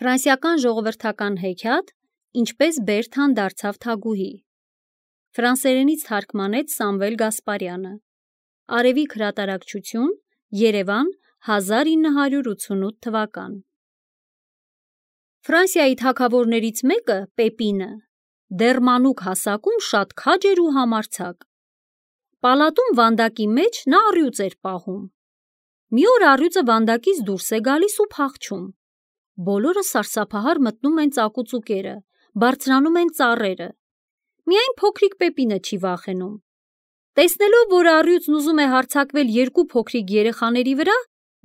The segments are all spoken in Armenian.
Ֆրանսիական ժողովրդական հեքիաթ «Ինչպես Բերթան դարձավ թագուհի» ֆրանսերենից թարգմանեց Սամվել Գասպարյանը։ Արևիկ հրատարակչություն, Երևան, 1988 թվական։ Ֆրանսիայի թագավորներից մեկը Պեպինը դեռ մանուկ հասակում շատ քաջ էր ու համարձակ։ Պալատում վանդակի մեջ նա առյուծ էր պահում։ Մի օր առյուծը վանդակից դուրս է գալիս ու փախչում։ Բոլորը սարսափահար մտնում են ծակուծուկերը, բարձրանում են ծառերը։ Միայն փոքրիկ Պեպինը չի վախենում։ Տեսնելով, որ առյուծն ուզում է հարձակվել երկու փոքրիկ երեխաների վրա,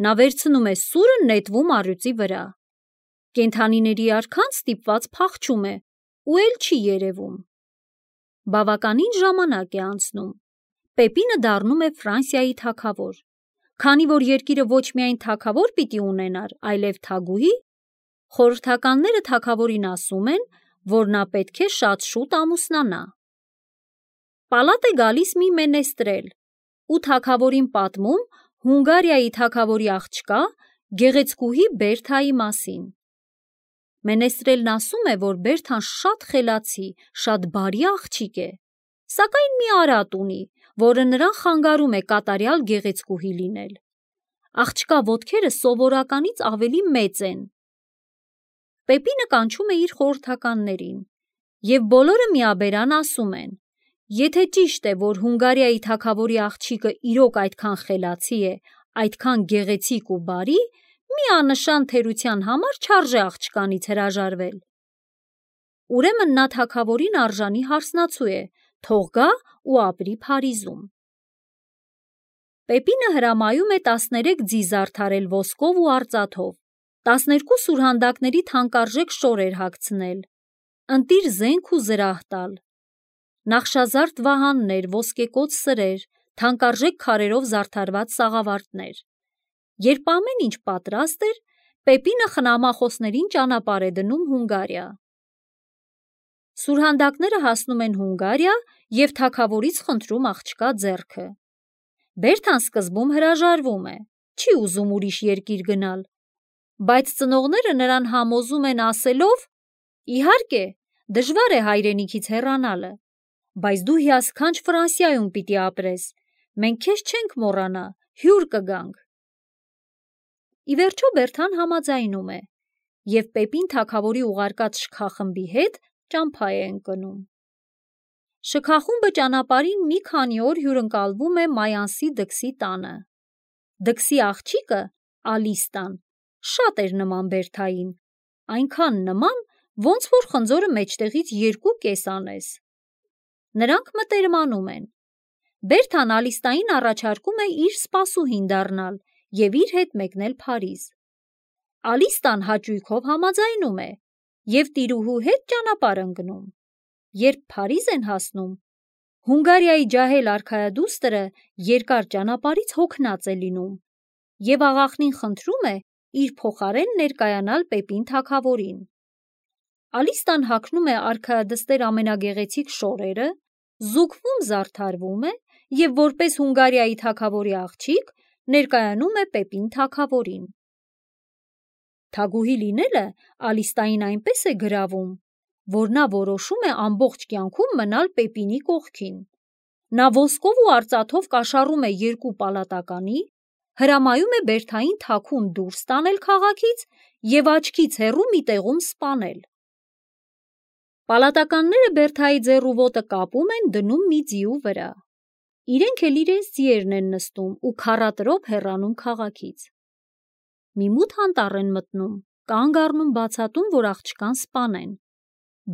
նա վերցնում է սուրը, նետվում առյուծի վրա։ Կենդանիների արքան ստիպված փախչում է ու էլ չի երևում։ Բավականին ժամանակ է անցնում։ Պեպինը դառնում է Ֆրանսիայի թագավոր։ Քանի որ երկիրը ոչ միայն թագավոր պիտի ունենար, այլև թագուհի, խորհրդականները թագավորին ասում են, որ նա պետք է շատ շուտ ամուսնանա։ Պալատ է գալիս մի մենեստրել ու թագավորին պատմում Հունգարիայի թագավորի աղջկա գեղեցկուհի Բերթայի մասին։ Մենեստրելն ասում է, որ Բերթան շատ խելացի, շատ բարի աղջիկ է, սակայն մի արատ ունի, որը նրան խանգարում է կատարյալ գեղեցկուհի լինել։ Աղջկա ոտքերը սովորականից ավելի մեծ են։ Պեպինը կանչում է իր խորհրդականներին, և բոլորը միաբերան ասում են. եթե ճիշտ է, որ Հունգարիայի թագավորի աղջիկը իրոք այդքան խելացի է, այդքան գեղեցիկ ու բարի, մի աննշան թերության համար չարժե աղջկանից հրաժարվել։ Ուրեմն նա թագավորին արժանի հարսնացու է, թող գա ու ապրի Փարիզում։ Պեպինը հրամայում է 13 ձի զարդարել ոսկով ու արծաթով, 12 սուրհանդակների թանկարժեք շորեր հագցնել, ընտիր զենք ու զրահ տալ, նախշազարդ վահաններ, ոսկեկոծ սրեր, թանկարժեք քարերով զարդարված սաղավարտներ։ Երբ ամեն ինչ պատրաստ էր, Պեպինը խնամախոսներին ճանապարհ է դնում Հունգարիա։ Սուրհանդակները հասնում են Հունգարիա և թագավորից խնդրում աղջկա ձեռքը։ Բերթան սկզբում հրաժարվում է, չի ուզում ուրիշ երկիր գնալ, բայց ծնողները նրան համոզում են ասելով. իհարկե, դժվար է հայրենիքից հեռանալը, բայց դու հիասքանչ Ֆրանսիայում պիտի ապրես, մենք քեզ չենք մոռանա, հյուր կգանք։ Ի վերջո Բերթան համաձայնում է, և Պեպին թագավորի ուղարկած շքախմբի հետ ճամփա է ընկնում։ Շքախումբը ճանապարհին մի քանի օր հյուրընկալվում է Մայանսի դքսի տանը։ Դքսի աղջիկը՝ Ալիստան, շատ էր նման Բերթային, այնքան նման, ոնց որ խնձորը մեջտեղից երկու կես անես։ Նրանք մտերմանում են։ Բերթան Ալիստային առաջարկում է իր սպասուհին դառնալ և իր հետ մեկնել Փարիզ։ Ալիստան հաճույքով համաձայնում է և տիրուհու հետ ճանապարհ ընկնում։ Երբ Փարիզ են հասնում, Հունգարիայի ջահել արքայադուստրը երկար ճանապարհից հոգնած է լինում և աղախնին խնդրում է իր փոխարեն ներկայանալ Պեպին թագավորին։ Ալիստան հագնում է արքայադստեր ամենագեղեցիկ շորերը, զուգվում զարդարվում է և որպես Հունգարիայի թագավորի աղջիկ ներկայանում է Պեպին թագավորին։ Թագուհի լինելը Ալիստային այնպես է գրավում, որ նա որոշում է ամբողջ կյանքում մնալ Պեպինի կողքին։ Նա ոսկով ու արծաթով կաշառում է երկու պալատականի, հրամայում է Բերթային թաքուն դուրս տանել քաղաքից և աչքից հեռու մի տեղում սպանել։ Պալատականները Բերթայի ձեռ ու ոտը կապում են, դնում մի ձիու վրա։ Իրենք էլ իրենց ձիերն են նստում ու քառատրոփ հեռանում քաղաքից։ Մի մութ անտառ են մտնում, կանգ առնում բացատում, որ աղջկան սպանեն,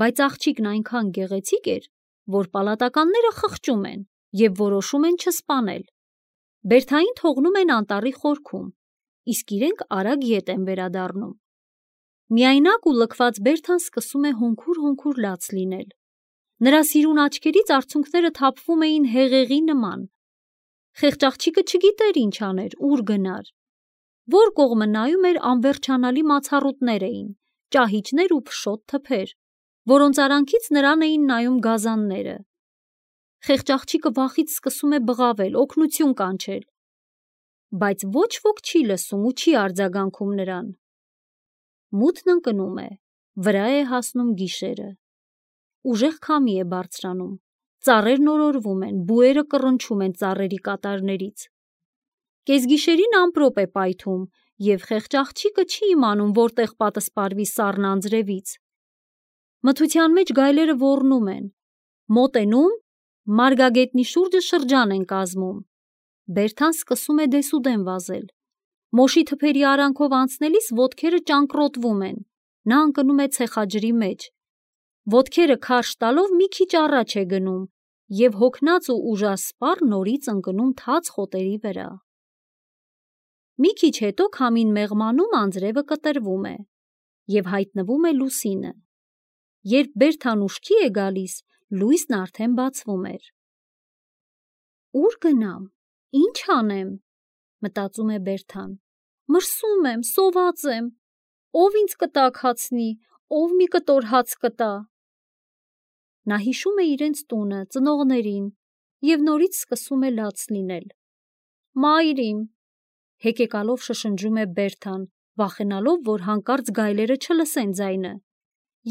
բայց աղջիկն այնքան գեղեցիկ էր, որ պալատականները խղճում են և որոշում են չսպանել։ Բերթային թողնում են անտառի խորքում, իսկ իրենք արագ ետ են վերադառնում։ Միայնակ ու լքված Բերթան սկսում է հոնքուր-հոնքուր լաց լինել։ Նրա սիրուն աչքերից արցունքները թափվում էին հեղեղի նման։ Խեղճ աղջիկը չգիտեր ինչ աներ, ուր գնար։ Որ կողմը նայում էր, անվերջանալի մացառուտներ էին, ճահիճներ ու փշոտ թփեր, որոնց արանքից նրան էին նայում գազանները։ Խեղճ աղջիկը վախից սկսում է բղավել, օգնություն կանչել, բայց ոչ ոք չի լսում ու չի արձագանքում նրան։ Մութն ընկնում է, վրա է հասնում գիշերը։ Ուժեղ քամի է բարձրանում, ծառերն օրորվում են, բուերը կռնչում են ծառերի կատարներից։ Կեսգիշերին ամպրոպ է պայթում, և խեղճ աղջիկը չի իմանում, որտեղ պատսպարվի սառն անձրևից։ Մթության մեջ գայլերը ոռնում են, մոտենում, մարգագետնի շուրջը շրջան են կազմում։ Բերթան սկսում է դեսուդեն վազել։ Մոշի թփերի արանքով անցնելիս ոտքերը ճանկռոտվում են, նա ընկնում է ցեխաջրի մեջ։ Ոտքերը քարշ տալով մի քիչ առաջ է գնում, և հոգնած ու ուժասպառ նորից ընկնում թաց խոտերի վրա։ Մի քիչ հետո քամին մեղմանում անձրևը կտրվում է, և հայտնվում է լուսինը։ Երբ Բերթան ուշքի է գալիս, լույսն արդեն բացվում էր։ Ուր գնամ, ինչ անեմ, մտածում է Բերթան։ Մրսում եմ, սոված եմ, ով ինձ կտակ հացնի, ով մի կտոր հաց կտա։ Նա հիշում է իրենց տունը, ծնողներին, և նորից սկսում է լաց լինել։ Մայր իմ, հեկեկալով շշնջում է Բերթան, վախենալով, որ հանկարծ գայլերը չլսեն ձայնը։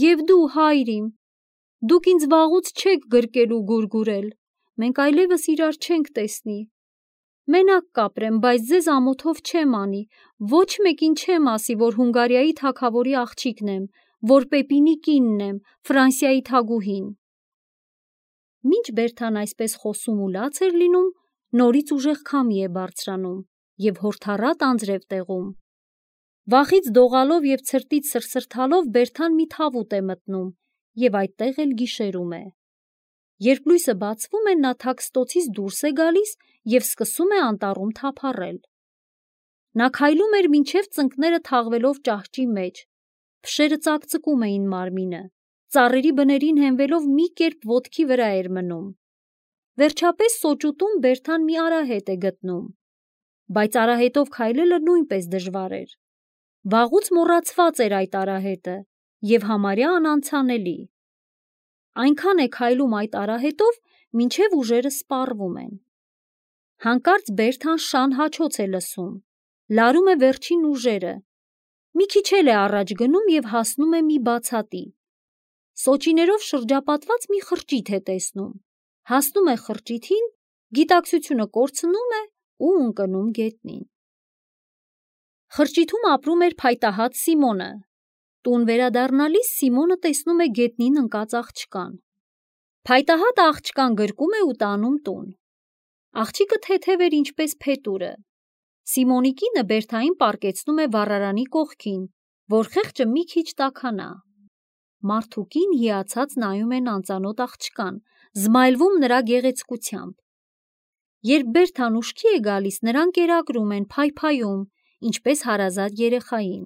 Եվ դու, հայր իմ, դուք ինձ վաղուց չեք գրկել ու գուրգուրել, մենք այլևս իրար չենք տեսնի։ Մենակ կապրեմ, բայց ձեզ ամոթով չեմ անի, ոչ մեկին չեմ ասի, որ Հունգարիայի թագավորի աղջիկն եմ, որ Պեպինի կինն եմ, Ֆրանսիայի թագուհին։ Մինչ Բերթան այսպես խոսում ու լաց էր լինում, նորից ուժեղ քամի է բարձրանում և հորդառատ անձրև տեղում։ Վախից դողալով և ցրտից սրսրթալով Բերթան մի թավուտ է մտնում և այդտեղ էլ գիշերում է։ Երբ լույսը բացվում է, նա թաքստոցից դուրս է գալիս և սկսում է անտառում թափառել։ Նա քայլում էր մինչև ծնկները թաղվելով ճահճի մեջ, փշերը ծակծկում էին մարմինը, ծառերի բներին հենվելով մի կերպ ոտքի վրա էր մնում։ Վերջապես սոճուտում Բերթան մի արահետ է գտնում, բայց արահետով քայլելը նույնպես դժվար էր։ Վաղուց մոռացված էր այդ արահետը և համարյա անանցանելի։ Այնքան է քայլում այդ արահետով, մինչև ուժերը սպառվում են։ Հանկարծ Բերթան շան հաչոց է լսում, լարում է վերջին ուժերը, մի քիչ էլ է առաջ գնում և հասնում է մի բացատի։ Սոճիներով շրջապատված մի խրճիթ է տեսնում, հասնում է խրճիթին, գիտակցությունը կորցնում է ու ընկնում գետնին։ Խրճիթում ապրում էր փայտահատ Սիմոնը։ Տուն վերադառնալիս Սիմոնը տեսնում է գետնին ընկած աղջկան։ Փայտահատը աղջկան գրկում է ու տանում տուն։ Աղջիկը թեթև էր ինչպես փետուրը։ Սիմոնի կինը Բերթային պառկեցնում է վառարանի կողքին, որ խեղճը մի քիչ տաքանա։ Մարդ ու կին հիացած նայում են անծանոթ աղջկան, զմայլվում նրա գեղեցկությամբ։ Երբ Բերթան ուշքի է գալիս, նրան կերակրում են, փայփայում, ինչպես հարազատ երեխային։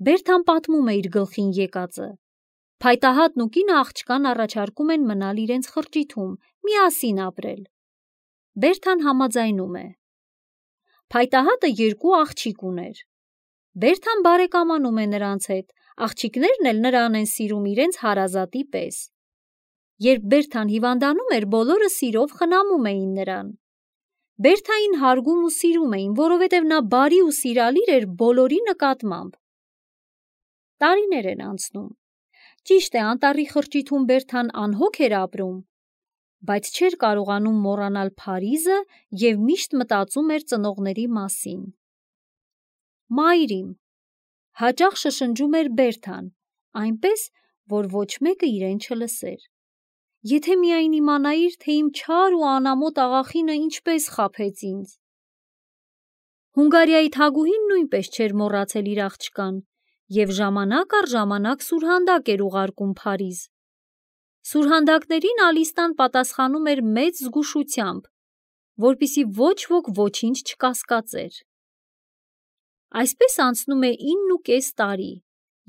Բերթան պատմում է իր գլխին եկածը։ Փայտահատն ու կինը աղջկան առաջարկում են մնալ իրենց խրճիթում, միասին ապրել։ Բերթան համաձայնում է։ Փայտահատը 2 աղջիկ ուներ։ Բերթան բարեկամանում է նրանց հետ, աղջիկներն էլ նրան են սիրում իրենց հարազատի պես։ Երբ Բերթան հիվանդանում էր, բոլորը սիրով խնամում էին նրան։ Բերթային հարգում ու սիրում էին, որովհետև նա բարի ու սիրալիր էր բոլորի նկատմամբ։ Տարիներ են անցնում։ Ճիշտ է, անտառի խրճիթում Բերթան անհոգ էր ապրում, բայց չէր կարողանում մոռանալ Փարիզը և միշտ մտածում էր ծնողների մասին։ Մայր իմ, հաճախ շշնջում էր Բերթան, այնպես, որ ոչ մեկը իրեն չլսեր։ Եթե միայն իմանայիր, թե իմ չար ու անամոթ աղախինը ինչպես խաբեց ինձ։ Հունգարիայի թագուհին նույնպես չէր մոռացել իր աղջկան և ժամանակ առ ժամանակ սուրհանդակ էր ուղարկում Փարիզ։ Սուրհանդակներին Ալիստան պատասխանում էր մեծ զգուշությամբ, որպեսզի ոչ ոք ոչինչ չկասկածեր։ Այսպես անցնում է 9.5 տարի,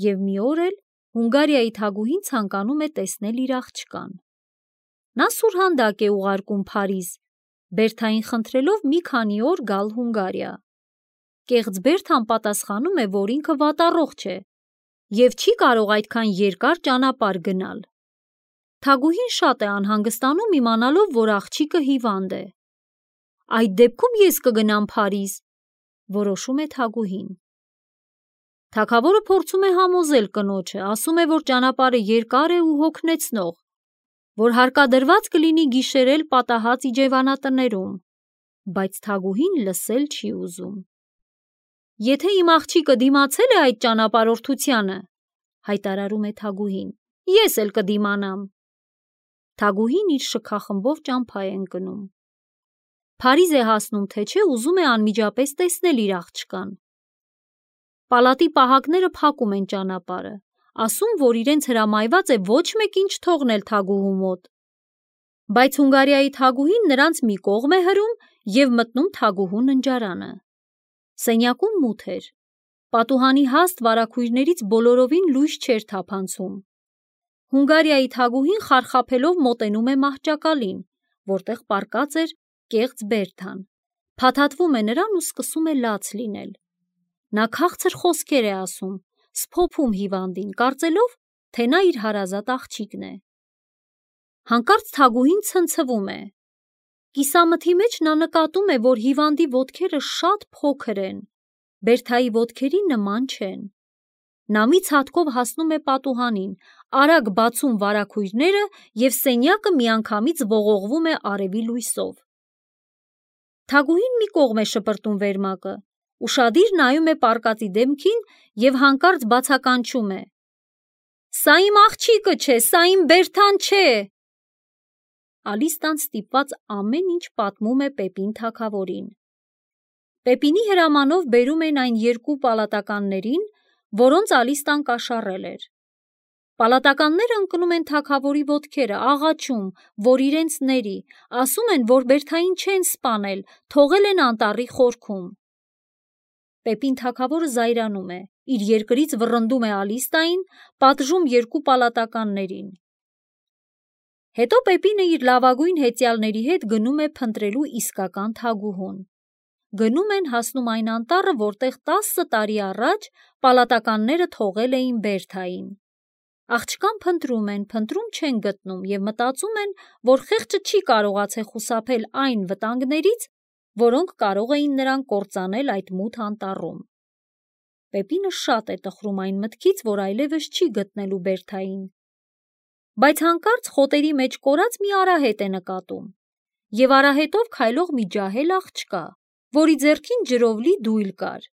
և մի օր էլ Հունգարիայի թագուհին ցանկանում է տեսնել իր աղջկան։ Նա սուրհանդակ է ուղարկում Փարիզ, Բերթային խնդրելով մի քանի օր գալ Հունգարիա։ Կեղծ Բերթան պատասխանում է, որ ինքը վատառողջ է և չի կարող այդքան երկար ճանապարհ գնալ։ Թագուհին շատ է անհանգստանում իմանալով, որ աղջիկը հիվանդ է։ Այդ դեպքում ես կգնամ Փարիզ, որոշում է թագուհին։ Թագավորը փորձում է համոզել կնոջը, ասում է, որ ճանապարհը երկար է ու հոգնեցնող, որ հարկադրված կլինի գիշերել պատահած իջևանատներում, բայց Թագուհին լսել չի ուզում։ Եթե իմ աղջիկը դիմացել է այդ ճանապարհորդությանը, հայտարարում է Թագուհին, ես էլ կդիմանամ։ Թագուհին իր շքախմբով ճամփա է ընկնում։ Փարիզ է հասնում, թե չէ ուզում է անմիջապես տեսնել իր աղջկան։ Պալատի պահակները փակում են ճանապարհը, ասում, որ իրենց հրամայված է ոչ մեկին չթողնել Թագուհու մոտ։ Բայց Հունգարիայի Թագուհին նրանց մի կողմ է հրում և մտնում Թագուհու ննջարանը։ Սենյակում մութ էր։ Պատուհանի հաստ վարագույրներից բոլորովին լույս չէր թափանցում։ Հունգարիայի Թագուհին խարխափելով մոտենում է մահճակալին, որտեղ պառկած էր կեղծ Բերթան, փաթաթվում է նրան ու սկսում է լաց լինել։ Նա քաղցր խոսքեր է ասում, սփոփում հիվանդին, կարծելով, թե նա իր հարազատ աղջիկն է։ Հանկարծ Թագուհին ցնցվում է։ Կիսամթի մեջ նա նկատում է, որ հիվանդի ոտքերը շատ փոքր են, Բերթայի ոտքերի նման չեն։ Նա մի ցատկով հասնում է պատուհանին, արագ բացում վարագույրները և սենյակը միանգամից ողողվում է արևի լույսով։ Թագուհին մի կողմ է շպրտում վերմակը, ուշադիր նայում է պառկածի դեմքին և հանկարծ բացականչում է. «Սա իմ աղջիկը չէ, սա իմ Բերթան չէ»։ Ալիստան ստիպված ամեն ինչ պատմում է Պեպին թագավորին։ Պեպինի հրամանով բերում են այն երկու պալատականներին, որոնց Ալիստան կաշառել էր։ Պալատականները ընկնում են թագավորի ոտքերը, աղաչում, որ իրենց ների, ասում են, որ Բերթային չեն սպանել, թողել են անտառի խորքում։ Պեպին թագավորը զայրանում է, իր երկրից վռնդում է Ալիստային, պատժում երկու պալատականներին։ Հետո Պեպինը իր լավագույն հեծյալների հետ գնում է փնտրելու իսկական Թագուհուն։ Գնում են, հասնում այն անտառը, որտեղ 10 տարի առաջ պալատականները թողել էին Բերթային։ Աղջկան փնտրում չեն գտնում և մտածում են, որ խեղճը չի կարողացել խուսափել այն վտանգներից, որոնք կարող էին նրան կործանել այդ մութ անտառում։ Պեպինը շատ է տխրում այն մտքից, որ այլևս չի գտնելու Բերթային։ Բայց հանկարծ խոտերի մեջ կորած մի արահետ է նկատում և արահետով քայլող մի ջահել աղջկա, որի ձեռքին ջրով լի դույլ կար։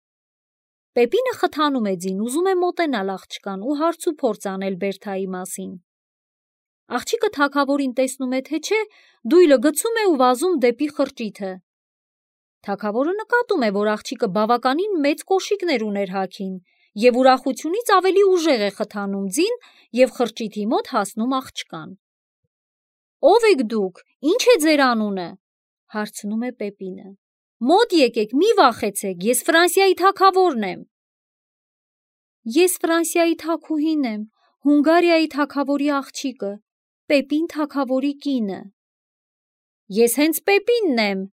Պեպինը խթանում է ձին, ուզում է մոտենալ աղջկան ու հարց ու փորձ անել Բերթայի մասին։ Աղջիկը թագավորին տեսնում է, թե չէ, դույլը գցում է ու վազում դեպի խրճիթը։ Թագավորը նկատում է, որ աղջիկը բավականին մեծ կոշիկներ ուներ հագին և ուրախությունից ավելի ուժեղ է խթանում ձին և խրճիթի մոտ հասնում աղջկան։ «Ո՞վ եք դուք, ի՞նչ է ձեր անունը», հարցնում է Պեպինը։ «Մոտ եկեք, մի վախեցեք, ես Ֆրանսիայի թագավորն եմ»։ «Ես Ֆրանսիայի թագուհին եմ, Հունգարիայի թագավորի աղջիկը, Պեպին թագավորի կինը»։ «Ես հենց Պեպինն եմ»,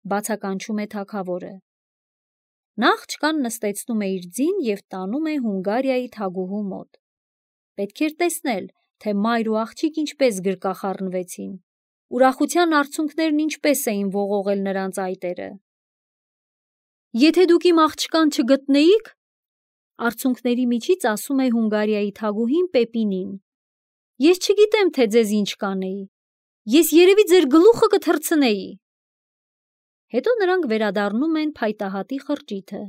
բացականչում է թագավորը։ Նա աղջկան նստեցնում է իր ձին և տանում է Հունգարիայի թագուհու մոտ։ Պետք էր տեսնել, թե մայր ու աղջիկ ինչպես գրկախառնվեցին, ուրախության արցունքներն ինչպես էին ողողել նրանց այտերը։ «Եթե դուք իմ աղջկան չգտնեիք», արցունքների միջից ասում է Հունգարիայի թագուհին Պեպինին, «ես չգիտեմ, թե ձեզ ինչ կանեի, ես երևի ձեր գլուխը կթռցնեի»։ Հետո նրանք վերադառնում են փայտահատի խրճիթը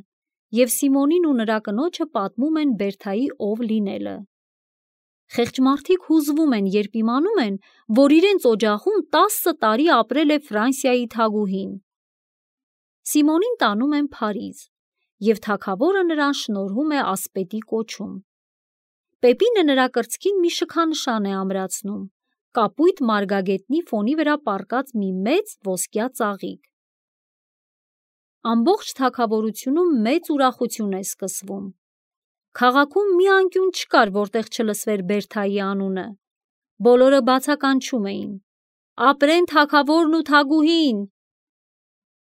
և Սիմոնին ու նրա կնոջը պատմում են Բերթայի ով լինելը։ Խեղճ մարդիկ հուզվում են, երբ իմանում են, որ իրենց օջախում 10 տարի ապրել է Ֆրանսիայի թագուհին։ Սիմոնին տանում են Փարիզ, և թագավորը նրան շնորհում է ասպետի կոչում։ Պեպինը նրա կրծքին մի շքանշան է ամրացնում, կապույտ մարգագետնի ֆոնի վրա պառկած մի մեծ ոսկյա ծաղիկ։ Ամբողջ թագավորությունում մեծ ուրախություն է սկսվում։ Քաղաքում մի անկյուն չկար, որտեղ չլսվեր Բերթայի անունը։ Բոլորը բացականչում էին. «Ապրեն թագավորն ու թագուհին»։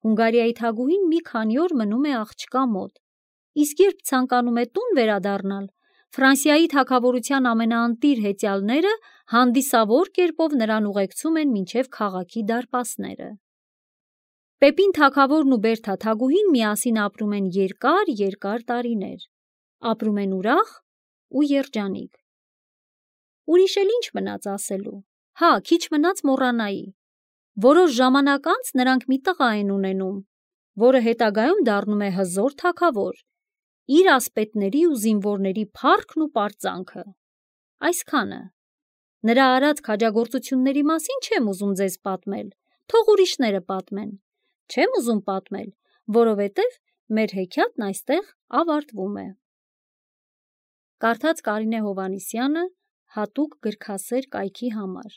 Հունգարիայի թագուհին մի քանի օր մնում է աղջկա մոտ, իսկ երբ ցանկանում է տուն վերադառնալ, Ֆրանսիայի թագավորության ամենաընտիր հեծյալները հանդիսավոր կերպով նրան ուղեկցում են մինչև քաղաքի դարպասները։ Պեպին թագավորն ու Բերթա թագուհին միասին ապրում են երկար տարիներ։ ապրում են ուրախ ու երջանիկ։ Ուրիշ էլ ինչ մնաց ասելու։ Հա, քիչ մնաց մոռանայի։ Որոշ ժամանակ անց նրանք մի տղա են ունենում, որը հետագայում դառնում է հզոր թագավոր, իր ասպետների ու զինվորների փառքն ու պարծանքը։ Այսքանը։ Նրա արած քաջագործությունների մասին չեմ ուզում ձեզ պատմել, թող ուրիշները պատմեն։ Չեմ ուզում պատմել, որովհետև մեր հեքիաթն այստեղ ավարտվում է։ Կարդաց Կարինե Հովհաննիսյանը հատուկ գրքասեր կայքի համար։